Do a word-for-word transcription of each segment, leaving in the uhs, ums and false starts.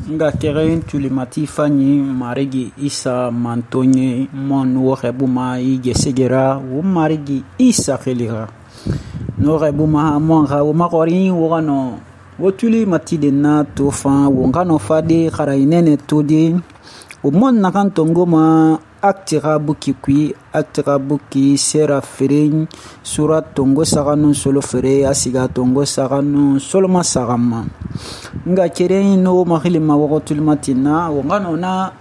nga keren tulimati fanyi marigi Isa mantonye mon wo xebuma i gesegera wo marigi Isa xelixa no xebuma mon xa wo maxori wo xano wo tulimati de na to fan wo xano fade xarayinene to de wo mon naxan tongoma acte xa buki kui acte xa buki sera fere sura tongo saxanu solo fere a siga tongo saxanu soloma saxanma nga keren no maxilima woxo tulimatina wo xano na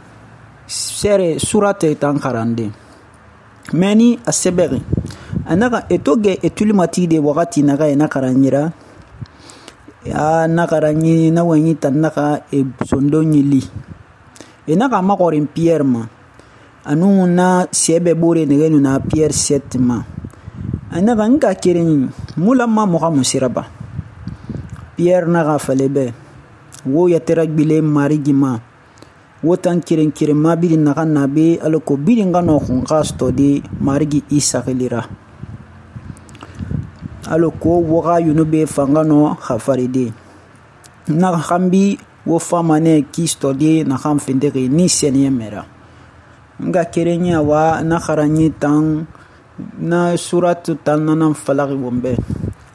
sere surate tan xarande meni a sebexi a naxa eto ge e tulimati de waxati naxa e na xaranyira a na xaranyi na wanyi tan naxa e sondo ɲili e naxa maxorin Pierre ma anu na sebe bore negenu na Pierre sept ma anaga nga keren mula ma moxa musiraba Pierre naxa falebe wo yatera gbile marigi ma wo tan keren keren ma biri naxa nabe alako biri nga no xunxa stode marigi Isa xilira alako wo xa yunube fanga no xafaride naxa xanbi wo famane ki stode naxan findixi ni seniye mera nga kerenya wa na kharanyi tan na suratu tan nan falagi wombe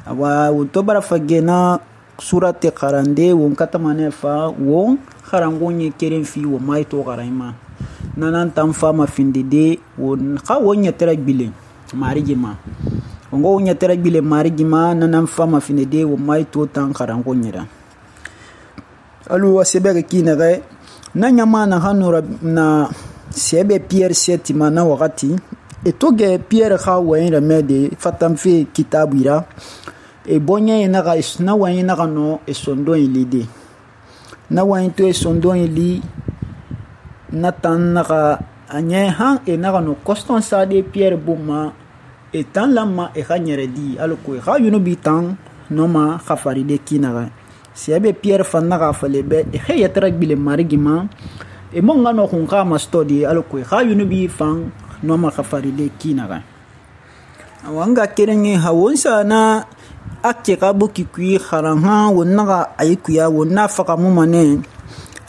awa to bara fage na surate kharande won katamane fa won kharangonye keren fi wo mai to kharayma nanan tan fama findide won kha wonya teragbile marigima ngo wonya teragbile marigima nanan fama findide wo mai to tan kharangonyira alu wasebere kinere na nyama na hanura na sebe Pierre sept mana wakati etoge Pierre kha wayin remede fatam fe kitabira e bonye na ga na wayin na no e sondo ilide na wayin to e sondo ili na tan na ga anye ha e na no Constance de Pierre boma e tan lama e khanyere di alko e kha yuno bitan no ma khafaride kinara sebe Pierre fanna ga falebe e khayatra bile marigima e monga no khunga mastodi alko kha yunubi fan no ma khafaride kinaga awanga kerenge hawonsa na akke kabuki kui kharanga wonnaga ayikuya wonna faka mumane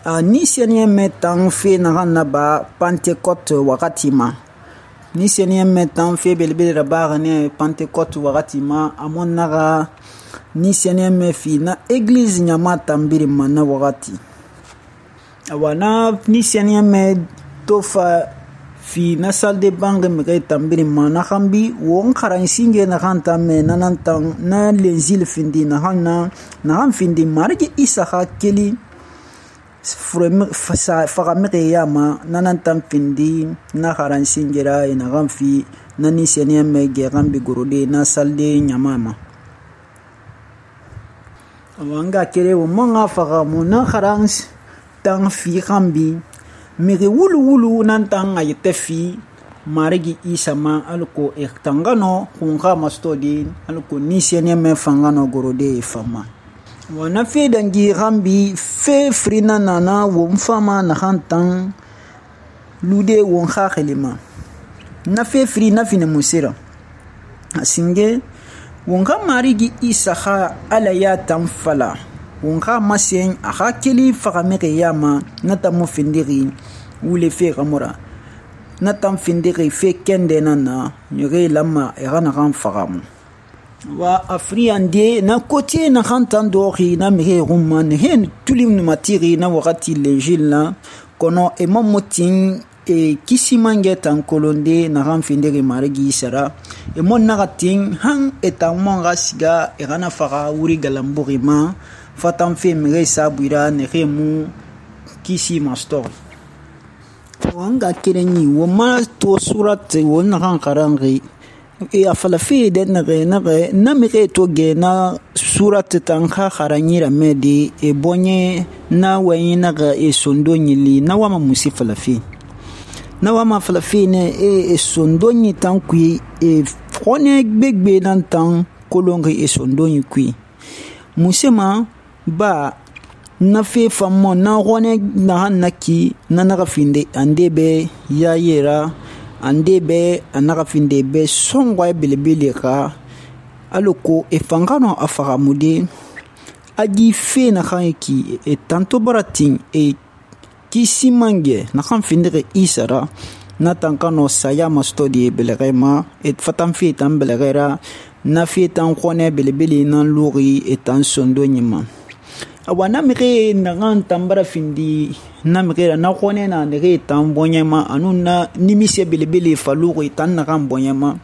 a ni senye metan fe na na ba Pentecôte wakati ma ni senye metan fe belbele raba ne Pentecôte wakati ma amonnaga ni senye me fi na église nyama tambiri mana wakati awana ni senya me tofa fi na salle de banque me kay tambiri mana khambi won kharan singe na khanta me nanantang na lenzil findi na hanna na han findi margi Isa khakeli frem fasa fagamre yama nanantang findi na kharan singera ina gamfi na ni senya me ge gambi gorode na salle de nyamama awanga kere wo monga fagamu na kharan tan fi khambi miri wulu wulu nan tan ayete fi marigi Isa ma alko e tangano khunga mastodi alko ni sene me fangano gorode fama wana fe dangi khambi fe frina nana wo mfama na khantan lude won khalima na fe frina fine musira asinge wonga marigi Isa kha ala ya tan fala wonga masen aha keli fagamere yama natamu findiri wule fe gamora natam findiri fe kende nana nyore lama erana ran fagamu wa afriande na côté na khantan dori na mere rumman hen tulim no matiri na wakati l'Injil na kono e momotin e kisimange tan kolonde na ran findiri marigi sara e mon nagatin han etamon gasiga erana faga wuri galamburima fatam fe mire sabuira ne remu kisi mastor wanga kereni wo ma to surat wo na kan karangi e afala fe de na re na re na mire to ge na surat tan kha kharanyira medi e bonye na wayina ga e sondo nyili na wama musifala fe na wama fala fe ne e sondo nyi tan kui e frone gbegbe nan tan kolongi e sondo nyi kui musema ba na fe fammo na gone na hanaki na naga finde ande be ya yera ande be anaga finde be songwa belebele ka aloko e fangano afaramude agi fe naxan ki e tanto bara tin e kisi mange naxan findixi isa ra na tan kano saya mastodi belege ma e fatan fe tan belege ra na fe tan xɔnɛ belebele nan luxi e tan sondo ɲima awa na mixe naxan tan bara findi na mixe ra na xɔnɛ na nexe tan bɔɲɛma anu na nimise belebele fa luxi tan naxan bɔɲɛma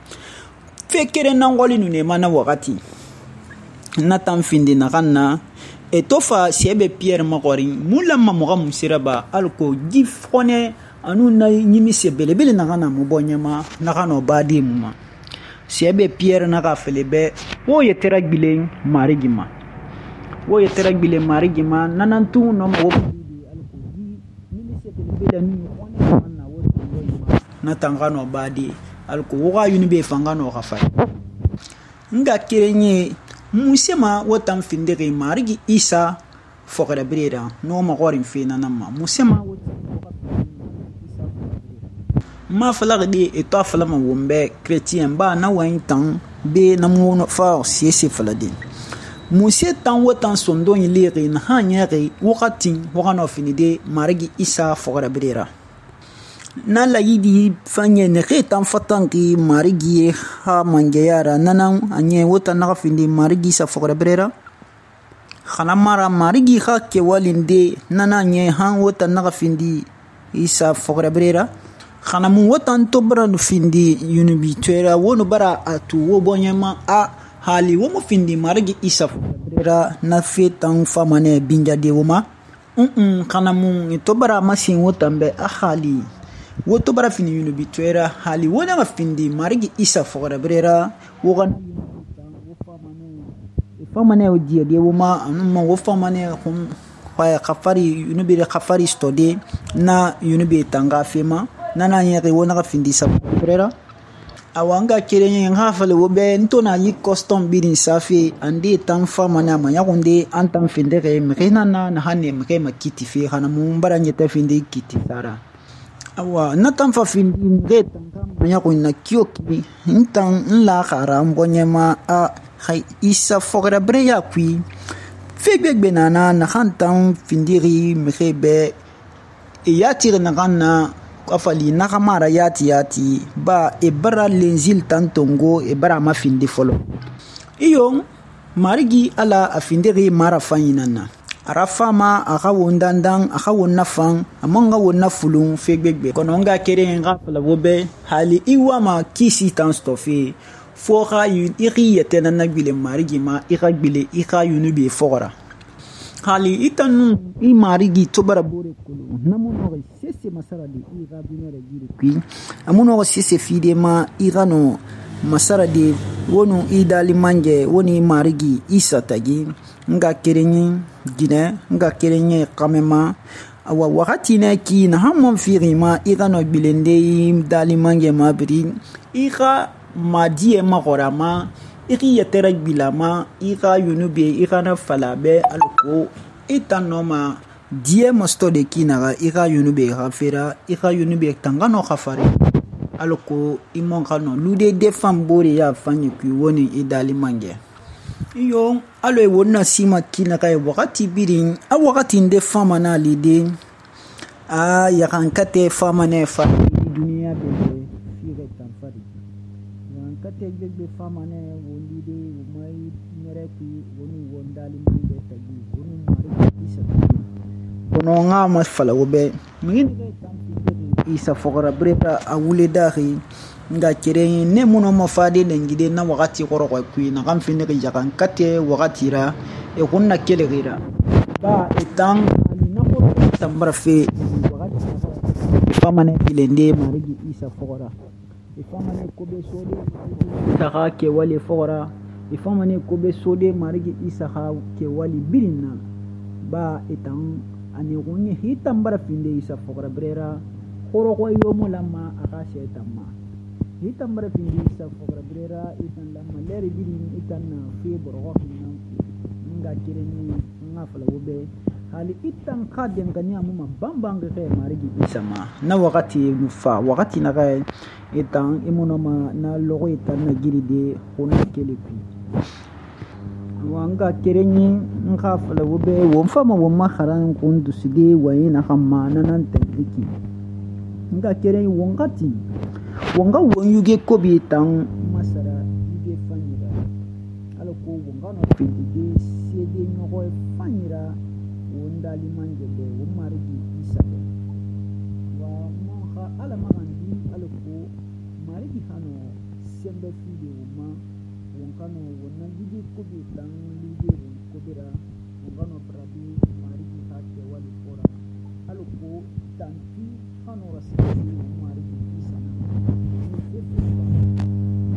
fe keren nan xɔli nu nema na waxati na tan findi naxan na e to fa sɛbɛ piyɛri maxɔrin mun lanma moxa mun sira ba alako ji xɔnɛ anu na nimise belebele naxan na mu bɔɲɛma naxanɔ badi mu ma sɛbɛ piyɛri naxa fele bɛ wo yetera gbilen marigi ma wo yetera gbilen marigi ma nanantun nɔma wo alako ji nimise belebele nu xɔnɛ naxan na wo tanbɔɲɛma na tan xanɔ badi alako wo xa yunibe fanga nɔ xa fari nga keren ye musema wo tan findixi marigi isa fɔxɛrɛbire ra n'o maxɔrin fe nanan ma musema wo ma falaxi de e to a falama won bɛ chrétien ba na wayin tan be na mu fa siese falade muse tan wo tan sondon lixi na han ɲɛxi waxatin waxanɔ finide marigi isa fɔxɛrɛbire ra na layidi fanye nexe tan fatanki marigi ha mangeya ra nanan a ɲɛ wo tan naxa findi marigi isa fɔxɛrɛbire ra xana mara marigi xa kewalin de nana ɲɛ han wo tan naxa findi isa fɔxɛrɛbire ra xana mun wo tan to bara nu findi yunubitɔɛ ra wo nu bara a tu wo bɔɲɛma a hali wo mu findi marigi isa fɔxɛrɛbire ra na fe tan famanɛ binjade wo ma un xana mun to bara masin wo tan bɛ a hali wo to bara fini yunubitɔɛ ra hali wo naxa findi marigi isa fɔxɛrɛbire ra wo xana famanɛ o diyade wo ma anu ma wo famanɛ hun xafari yunubire xafari stode na yunube tanga fe ma nana ɲɛxi wo naxa findi isa fɔxɛrɛbire ra awa nga keren ye nga fale wo bɛ n to na yi custom birin safe ande tan famanɛ a ma ɲaxunde an tan findexe mixe nana naxan ne mixe ma kiti fe xana mun bara ɲɛtɛ finde kiti sara awa na tan fa findi mixe tan ka ma ɲaxun na kiyo ki n tan n la xara n bɔɲɛma a xai isa fɔxɛrɛbire ya kui fe gbegbe nana naxan tan findixi mixe bɛ e yatixi naxan na afali naxa mara yati yati ba e bara lenzil tan tongo e bara ma findi fɔlɔ iyo marigi ala a findixi mara fan ɲinan na a ra fama a xa won dandan a xa won na fan a man xa won na fulun fe gbegbe kɔnɔ n ga keren xa fala wo bɛ hali i wama kisi tan stɔfe fo xa i xi yɛtɛ nana gbilen marigi ma i xa gbile i xa yunubi fɔxɔra hali i tan nu i marigi to bara bore kolo na mu nɔxɔ sese masara de i xa dunɛrɛ jiri kui a mu nɔxɔ sese fide ma i xa nɔ masara de wo nu i dali manjɛ wo ni marigi i satagi n ka keren ye jinɛ n ka keren ye xamɛma awa waxati nɛ ki na han mɔn fixi ma i xa nɔ gbilende i dali manjɛ ma biri i xa madiyɛ maxɔra ma i xi yɛtɛrɛ gbila ma i xa yunube i xana fala bɛ alako i tan nɔ ma diɲɛ mastɔ de ki naxa i xa yunube xa fera i xa yunube tanga nɔ xa fari alako i mɔn xa nɔ lude defan bore ya fan ye kui wo ni i dali mangɛ iyo alo ye won na sima ki naxa ye waxati birin a waxati nde fama na lide a yaxankatɛ famanɛ fari duniya bɛ fixe tan fari kate gbegbe famanɛ wondi de womai ɲɛrɛ kui wonu wondali mangɛ tagi wonu marigi isa tagi kono nga ma fala wo bɛ migi nige tan isa fɔxɛrɛbire ra a wule daxi nga keren ne muno ma fade lengide na waxati xɔrɔxɔ kui naxan findixi yaxan kate waxati ra e xun na kelexira ba e tan ali na xɔrɔ tan bara fe waxati famanɛ bilende marigi isa fɔxɔra ifamane kobe sode isaha kewali fora ifamane kobe sode marigi isaha kewali birina ba etan ani gonye hitam bara finde isa fora brera khoro ko yomo lama aka shetamma hitam bara finde isa fora brera itan lama leri birin itan na fi borgo hinna nga kireni nga fala wobe hali itan kadem kanya muma bambang ke marigi isa ma na wakati mufa wakati na ga itan imunoma na logo itan na giride hona kelepi wanga kerenyi nga fala wo be won fama won ma kharan kun dusige wayi na khamma nan tantiki nga kerenyi wongati wonga won yuge ko bi tan masara yuge fanyira ala ko wonga no pindige sede nyogo fanyira wonda limanje be won marigi isa be wa mo kha ala magandi ala ko marigi hano sembe fide woma wonkano wonna yuge ko bi tan yuge ko bira wonkano brabi marigi hakke wali fora ala ko tanti hano rasidi marigi isa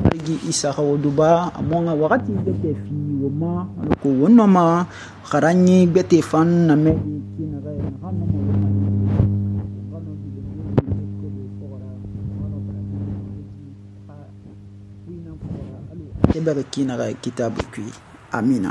marigi isa khawoduba amonga wakati bete fi woma ala ko wonno ma kharanyi bete fan na me kina ga na hano mo wona wonkano bi ko bi fora wonkano brabi ha wina fora alu tebere kina ga kitabu kui amina.